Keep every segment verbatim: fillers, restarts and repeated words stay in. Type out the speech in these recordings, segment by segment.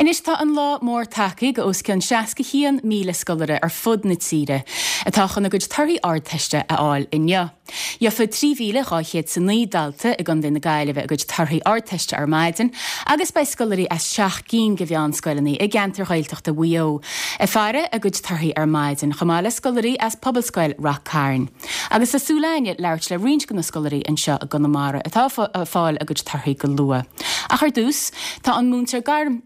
Anois tá an lá mór tagtha go os cionn seasca haon míle scoláire ar fud na tíre atá chun a gcuid torthaí Ardteiste a fháil inniu. Gheobhaidh trí mhíle dhá chéad is a naoi dalta i gContae na Gaillimhe a gcuid torthaí Ardteiste ar maidin agus beidh scoláirí as seacht gcinn de mheánscoileanna i gceantar Ghaeltachta Mhaigh Eo ag faire a gcuid torthaí ar maidin chomh maith le scoláirí as Pobalscoil Ráth Cairn. Agus tá súil againne labhairt le roinnt de na scoláirí anseo i gConamara atá ag fáil a gcuid torthaí go luath. Ach ar dtús tá an múinteoir gairm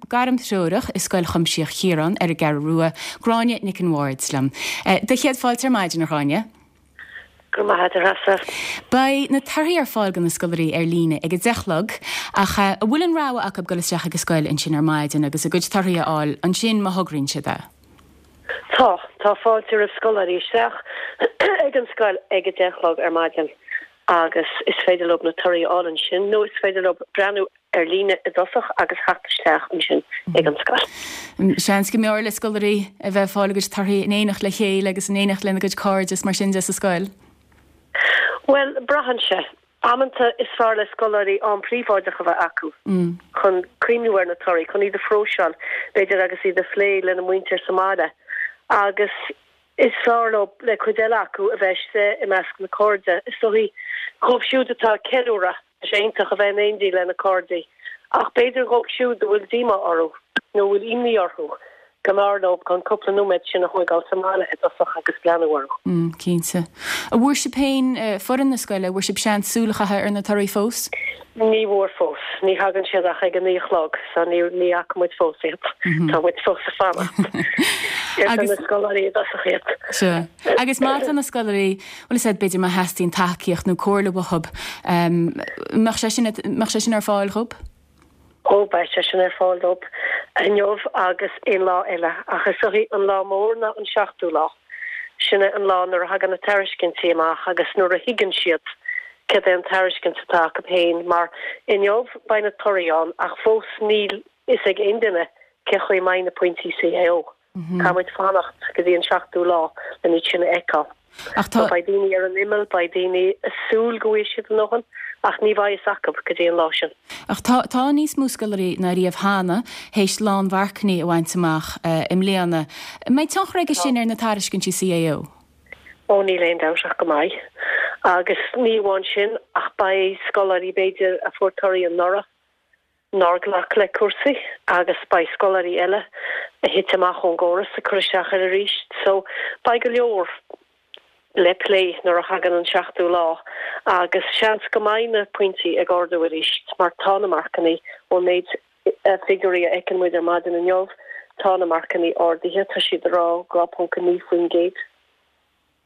gairmthreorach i Scoil Chuimsitheach Chiaráin ar an gCeathrú Rua, Gráinne Nic an Bhaird liom. Do chéad fáilte ar maidin a Ghráinne. Go maith a Beidh na torthaí ar fáil do na scoláirí ar líne ag a deich a chlog ach an bhfuil an rogha acu dul isteach ag an scoil ansin ar maidin agus a gcuid torthaí a fháil ansin má thograíonn siad é. Tá tá fáilte roimh scoláirí isteach ag an scoil ag a deich a chlog ar maidin agus is féidir leo na torthaí a fháil ansin nó is féidir leo breathnú ar líne i dtosach agus theacht isteach ansin ag an scoil. Seans go mb'fhearr le scoláirí a bheith ag fáil a gcuid torthaí in éineacht le chéile agus in éineacht lena gcuid cairde is mar sin de sa scoil. Well braitheann sé. Amanta is fearr le scoláirí am príobháideach a bheith acu mm. chun cuimhneamh ar na torthaí chun iad a phróiseáil b'fhéidir agus iad a phlé lena muintir sa mbaile. Agus is fearr leo le cuid eile acu a bheith i measc na cairde. Is dóichí dóibh siúd atá ag ceiliúradh sé iontach a bheith in éindí lena cairde. Ach b'fhéidir dóibh siúd a bhfuil díomá orthu nó bhfuil imní orthu go mb'fhearr leo an cúpla nóiméad sin a thógáil sa mbaile i dtosach agus breathnú orthu. Mm, cinnte. An bhfuair sibh féin uh, foireann na scoile, bhfuair sibh seans súil a chaitheamh ar na torthaí fós? Ní bhfuair fós, ní thagann siad ach ag a naoi a chlog, so ní ní fhaca muid fós iad mm -hmm. Tá muid fós ag fanacht. Agus na scoláirí i dtosach iad. Sure. Agus má tá na scoláirí well said b'fhéidir má theastaíonn tacaíocht nó comhairle uathu um, mbeadh sé sin mbeadh sé sin ar fáil dóibh? Ó beidh sé sin ar fáil dóibh inniu agus aon lá eile ach is é an lá mór ná an seachtú lá. Sinne an lá nuair a thagann na tairiscintí amach agus nuair a thuigeann siad cad é an tairiscint atá acu féin mar inniu beidh na torthaí ann ach fós níl fhios ag aon duine cé chaoi mbeidh na pointí CAO. Mm -hmm. Caithfimid fanacht go dtí an seachtú lá le sin a fheiceáil. Ach tá beidh daoine ar an imeall beidh daoine ag súil go bhfuil siad ann ach ní bheidh fhios acu go dtí an lá sin. Ach tá tá níos mó scoláirí ná riamh cheana théis lánmharcanna a bhaint amach uh, i mbliana. Mbeidh tionchar aige sin ar na tairiscintí CAO. Ó níl aon dabht ach go mbeidh. Agus ní amháin sin ach beidh scoláirí b'fhéidir a fuair torthaí anuraidh nár ghlac le cúrsaí agus beidh scoláirí eile a thit amach ón gcóras a chur isteach air arís, so beidh go leor le plé nuair a thagann an seachtú lá agus seans go mbeidh na pointí ag ardú arís mar tá na marcanna ón méid figiúirí a fheiceann muid ar maidin inniu tá na marcanna ardaithe tá siad rá dhá ponc naoi faoin gcéad.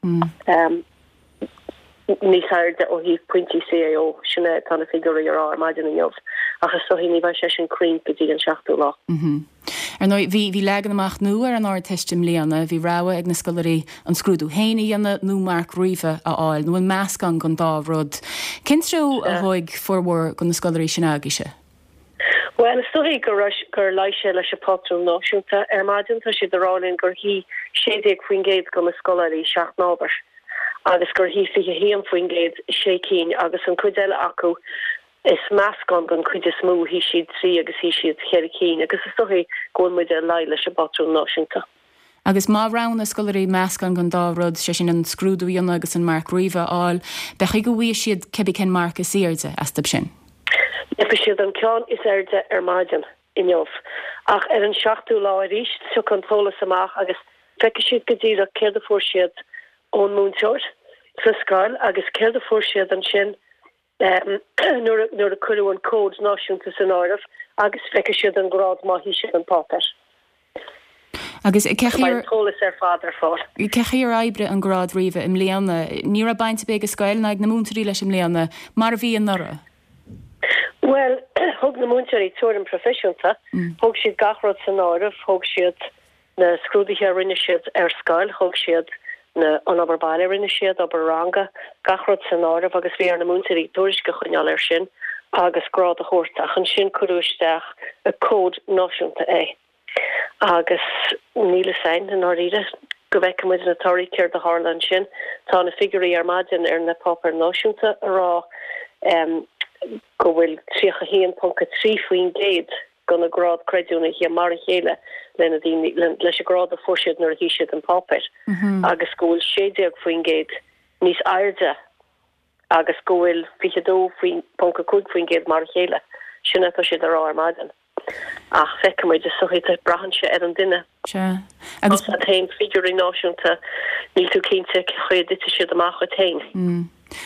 Mm. Um, níos airde ó thaobh pointí CAO sin tá na figiúirí ar ar maidin inniu ach is dóichí ní bheidh sé sin cruinn go dtí an seachtú lá. Mm -hmm. Ar ndóigh bhí bhí leagan amach nua ar an Ardteist i mbliana, bhí rogha ag na scoláirí an scrúdú féin a dhéanamh nó marc ríomha a fháil nó an meascán den dá rud. Cén treo a thóg formhór de na scoláirí sin agaibhse? Well is dóichí gur gur luigh sé leis an bpátrún náisiúnta ar maidin tá siad ag rá linn gur shuigh sé déag faoin gcéad de na scoláirí seacht n-ábhar agus gur shuigh fiche haon faoin gcéad sé cinn agus an cuid eile acu is meascán den chuid is mó shuigh siad trí agus shuigh siad ceithre cinn agus is dóichí go bhfuil muid ag luí leis an bpátrún náisiúnta. Agus má roghnaigh scoláirí meascán den dá rud sé sin an scrúdú a dhéanamh agus an marc ríomha a fháil, beidh go bhfaighidh siad cibé cén marc is airde astu sin. Gheobhaidh siad an ceann is airde ar maidin inniu. Ach ar an seachtú lá arís tiocfaidh an t-eolas amach agus feicfidh siad go díreach céard a fuair siad ón múinteoir sa scoil agus céard a fuair siad ansin um, nuair nuair a cuireadh an cód náisiúnta san áireamh agus feicfidh siad an grád má shuigh siad an páipéar. Agus cé an t-eolas ar fad ar fáil. Cé chaoi ar oibrigh an grád ríomha i mbliana, ní raibh baint ag an scoil ná ag na múinteoirí leis i mbliana, mar a bhí anuraidh. Well, thug na múinteoirí tuairim proifisiúnta, mm. thug siad gach rud san áireamh, thug siad na scrúduithe a rinne siad ar scoil, thug siad na an obair baile rinne siad obair ranga gach rud san áireamh agus bhí ar na múinteoirí tuairisc a choinneáil air sin agus grád a thabhairt ach ansin cuireadh isteach i cód náisiúnta é. Agus níl fhios againn i ndáiríre go bhfeicfidh muid na torthaí céard a tharla ansin. Tá na figiúirí ar maidin ar na páipéir náisiúnta ag rá um, go bhfuil tríocha haon ponc a trí faoin gcéad gona grád creidiúnaithe mar a chéile lena daoine leis an grád a fuair siad nuair a shuigh siad an páipéar agus go bhfuil sé déag faoin gcéad níos airde agus go bhfuil fiche dó ponc a cúig faoin gcéad mar a chéile. Sin atá siad a rá ar maidin. Ach feicfimid is dóichí braitheann sé ar an duine. Sea. Agus tá féin figiúirí náisiúnta níl tú cinnte cén chaoi a dtitfidh siad amach duit féin. Mm.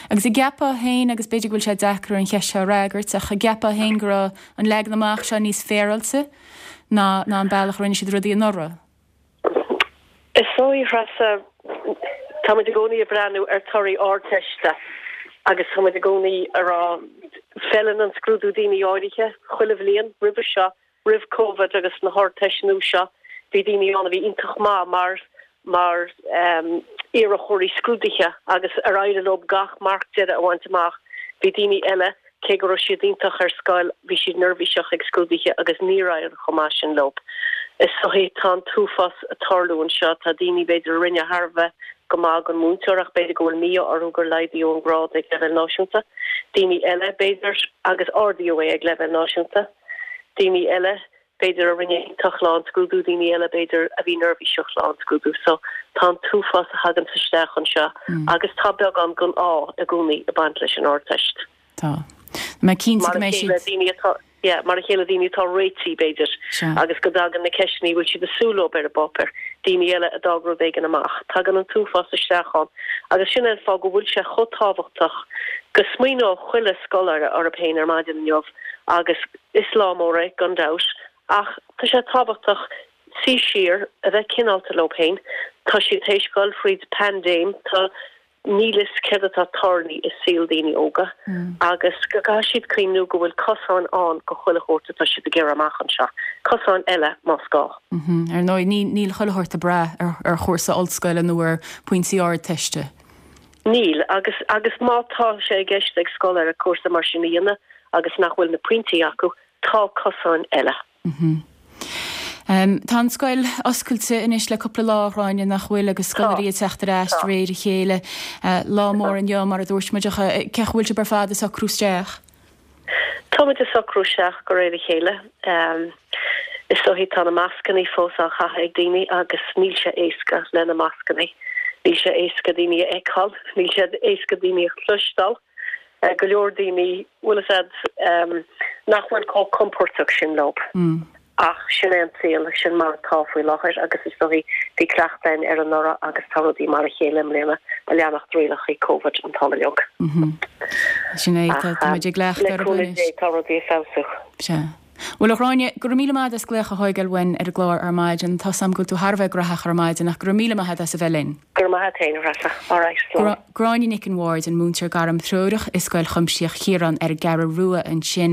Agus an gceapfá féin agus b'fhéidir go bhfuil sé deacair an cheist seo a fhreagairt ach an gceapfá féin go raibh an leagan amach seo níos féaráilte ná ná an bealach a rinne siad rudaí anuraidh? Is dóigh Threasa táimid i gcónaí ag breathnú ar torthaí Ardteiste agus táimid i gcónaí ag rá feileann an scrúdú daoine áirithe chuile bhliain roimhe seo roimh Covid agus na hArdteist nua seo bhí daoine ann a bhí iontach maith mar mar iarrthóirí scrúduithe agus ar éirigh leo gach marc deiridh a bhaint amach. Bhí daoine eile, cé go raibh siad iontach ar scoil, bhí siad neirbhíseach ag scrúduithe agus níor éirigh chomh maith sin leo. Is dóichí tá an t-uafás ag tarlú anseo, tá daoine b'fhéidir a rinne thar a bheith go maith don mhúinteoir ach b'fhéidir go bhfuil mí-ádh orthu gur laghdaíodh an grád ag leibhéal náisiúnta, daoine eile b'fhéidir agus ardaíodh é ag leibhéal náisiúnta, daoine eile b'fhéidir a rinne iontach lá an scrúdú, daoine eile b'fhéidir a bhí neirbhíseach lá an scrúdú. So tá an t-uafás a thagann isteach anseo agus tá beagán den ádh i gcónaí ag baint leis an Ardteist. Tá. Mé cinnte go mbeidh siad. daoine atá yeah, mar a chéile daoine atá réitithe b'fhéidir agus go dtagann na ceisteanna a bhfuil siad ag súil leo ar an bpáipéar, daoine eile a d'fhág rud éigin amach. Tagann an t-uafás isteach ann agus sin an fáth go bhfuil sé chomh tábhachtach go smaoineodh chuile scoláire orthu féin ar maidin inniu agus is lá mór é gan dabht ach tá sé tábhachtach suí siar, a bheith cineálta leo féin, tá siad théis dul fríd paindéim, tá níl fhios céard atá tarlaithe i saol daoine óga agus go gcaithfidh siad cuimhniú go bhfuil cosáin ann go chuile shórt atá siad ag iarraidh amach anseo, cosáin eile más gá. Ar ndóigh, ní níl chuile shórt ag brath ar ar chúrsa ollscoile nó ar phointí Ardteiste. Níl, agus agus má tá sé i gceist ag scoláire cúrsa mar sin a dhéanamh agus nach bhfuil na pointí acu, tá cosáin eile. Tá an scoil oscailte anois le cúpla lá, a Ghráinne, nach bhfuil, agus scoláirí ag teacht ar ais de réir a chéile. Lá mór inniu, mar a dúirt muid, ach cén chaoi a bhfuil sibh ar fad ag socrú isteach? Táimid ag socrú isteach de réir a chéile. Is dóichí tá na mascannaí fós á chaitheamh ag daoine agus níl sé éasca le na mascannaí. Níl sé éasca daoine a fheiceáil, níl sé éasca daoine a chloisteáil. Go leor daoine, bhfuil fhios a'd, nach bhfuil chomh compordach sin leo. Ach sin é an saol, sin mar atá faoi láthair agus is dóichí bhí cleachtadh againn air anuraidh agus tá rudaí mar a chéile i mbliana ag leanacht rialacha Covid an t-am uilig. Sin é, tá muid ag cleachtadh Le cúnamh Dé tá rudaí ag feabhsú. Sea. Bhuel, a Ghráinne, go raibh míle maith agat as glaoch a thógáil uainn ar an gclár ar maidin. Tá 's a'm go bhfuil tú thar a bheith graitheach ar maidin ach go raibh míle maith agat as a bheith linn. Go raibh maith agat féin, a Threasa. All right, slán. Gráinne Nic an Bhaird, an múinteoir gairmthreorach i Scoil Chuimsitheach Chiaráin ar an gCeathrú Rua ansin.